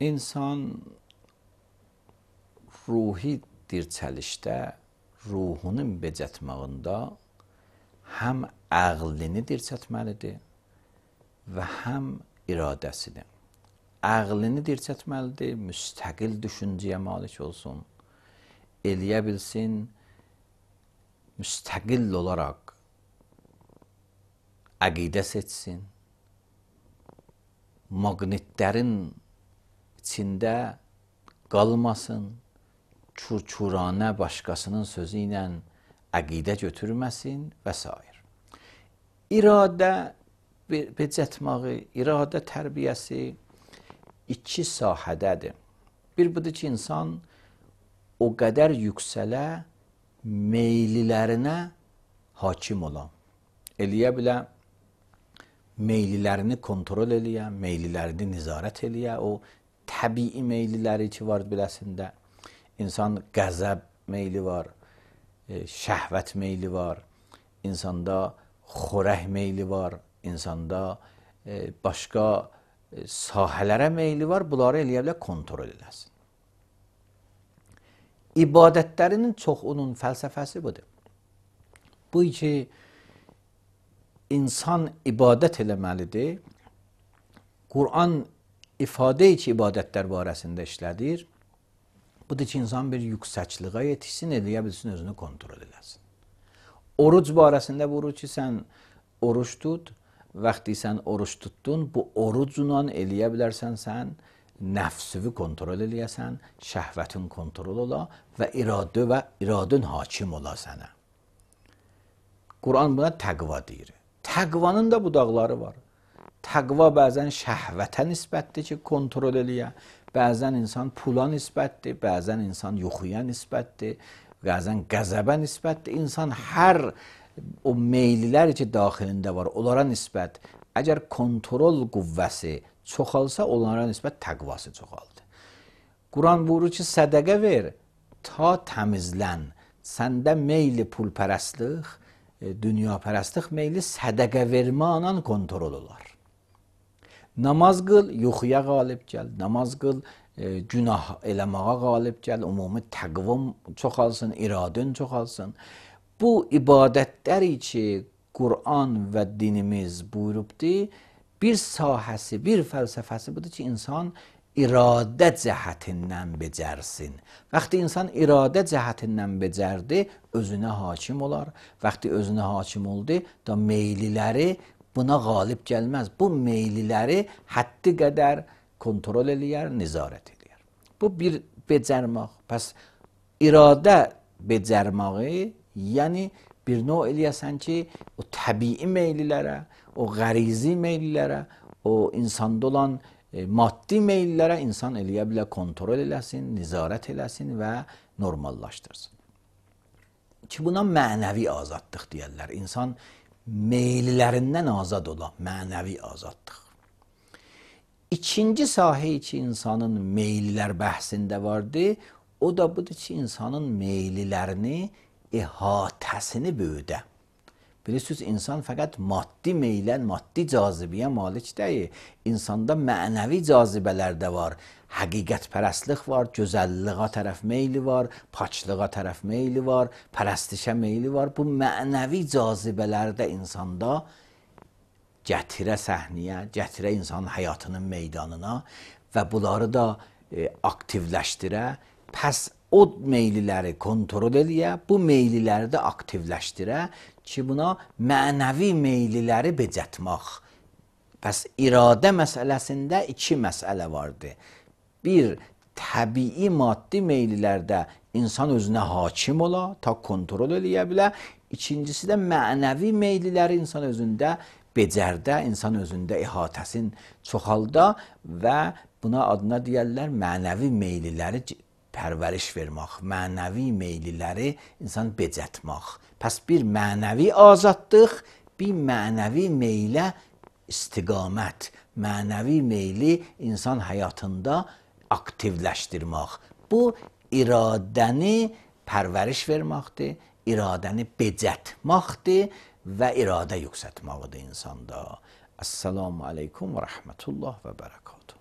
İnsan ruhi dirçəlişdə, ruhunun becətmağında həm əqlini dirçətməlidir və həm iradəsini. Əqlini dirçətməlidir, müstəqil düşüncəyə malik olsun, eləyə bilsin, müstəqil olaraq əqidə seçsin, maqnitlərin içində qalmasın, çurçuranə başqasının sözü ilə əqidə götürməsin və s. İradə becətməyi, iradə tərbiyəsi iki sahədədir. Bir budur ki, insan o qədər yüksələ meylilərinə hakim olan, eləyə bilə, meylilərini kontrol eləyə, meylilərini nizarət eləyə, o təbii meyliləri ki var biləsində, insan qəzəb meyli var, şəhvət meyli var, insanda xorək meyli var, insanda başqa sahələrə meyli var, bunları eləyə bilə kontrol eləsin. İbadətlərinin çoxunun fəlsəfəsi budur. Bu ki, insan ibadət eləməlidir. Quran ifadə ki, ibadətlər barəsində işlədir. Budur ki, insan bir yüksəkliğə yetişsin, eləyə bilsin, özünü kontrol eləsin. Oruc barəsində buyurur ki, sən oruç tut, vaxtı sən oruç tutdun, bu orucla eləyə bilərsən, sən nəfsüvü kontrol eləyəsən, şəhvətin kontrol ola və iradın hakim ola sənə. Quran buna təqva deyir. Təqvanın da budaqları var. Təqva bəzən şəhvətə nisbətdir ki, kontrol eləyə, bəzən insan pula nisbətdir, bəzən insan yuxuya nisbətdir, bəzən qəzəbə nisbətdir. İnsan hər o meylilər ki, daxilində var, onlara nisbət, əgər kontrol qüvvəsi çoxalsa, onlara nisbət təqvası çoxaldı. Quran buyurur ki, sədəqə ver, ta təmizlən. Səndə meyli pulpərəstlik, dünyapərəstlik meyli sədəqə verməklə kontrol olar. Namaz qıl, yuxuya qalib gəl, namaz qıl, günah eləməyə qalib gəl, ümumi təqvim çoxalsın, iradın çoxalsın. Bu ibadətləri ki, Quran və dinimiz buyurubdur, bir sahəsi, bir fəlsəfəsi budur ki, insan iradə cəhətindən becərsin. Vaxtı insan iradə cəhətindən becərdi, özünə hakim olar. Vaxtı özünə hakim oldu, da meyliləri buna qalib gəlməz. Bu meyliləri həddi qədər kontrol eləyər, nizarət eləyər. Bu bir becərmək. Pəs iradə becərməyi, yəni bir növ eləyəsən ki, o təbii meylilərə, o qərizi meylilərə, o insanda olan maddi meyillərə insan eləyə bilə kontrol eləsin, nizarət eləsin və normallaşdırsın. Ki buna mənəvi azadlıq deyərlər. İnsan meyillərindən azad ola, mənəvi azadlıq. İkinci sahə ki, insanın meyillər bəhsində vardı, o da budur ki, insanın meyillərini, əhatəsini böyüdə. Bilirsiniz, insan fəqət maddi meylən, maddi cazibəyə malik deyil. İnsanda mənəvi cazibələr də var. Həqiqətpərəstlik var, gözəlliğə tərəf meyli var, paçlığa tərəf meyli var, pərəstişə meyli var. Bu mənəvi cazibələr də insanda gətirə səhnəyə, gətirə insanın həyatının meydanına və bunları da aktivləşdirə. Pəs o meyliləri kontrol eləyə, bu meyliləri də aktivləşdirə ki, buna mənəvi meyliləri becətmək. Pəs iradə məsələsində iki məsələ vardır. Bir, təbii maddi meylilərdə insan özünə hakim ola, ta kontrol eləyə bilə. İkincisi də mənəvi meyliləri insan özündə becərdə, insan özündə əhatəsin çoxalda və buna adına deyərlər mənəvi meyliləri pərvəriş vermək, mənəvi meyliləri insan becətmək. Pəs bir mənəvi azadlıq, bir mənəvi meylə istiqamət, mənəvi meyli insan həyatında aktivləşdirmək. Bu, iradəni pərvəriş verməkdir, iradəni becətməkdir və iradə yüksətməkdir insanda. Əssalamu aleykum və rəhmətullah və bərəkatuhu.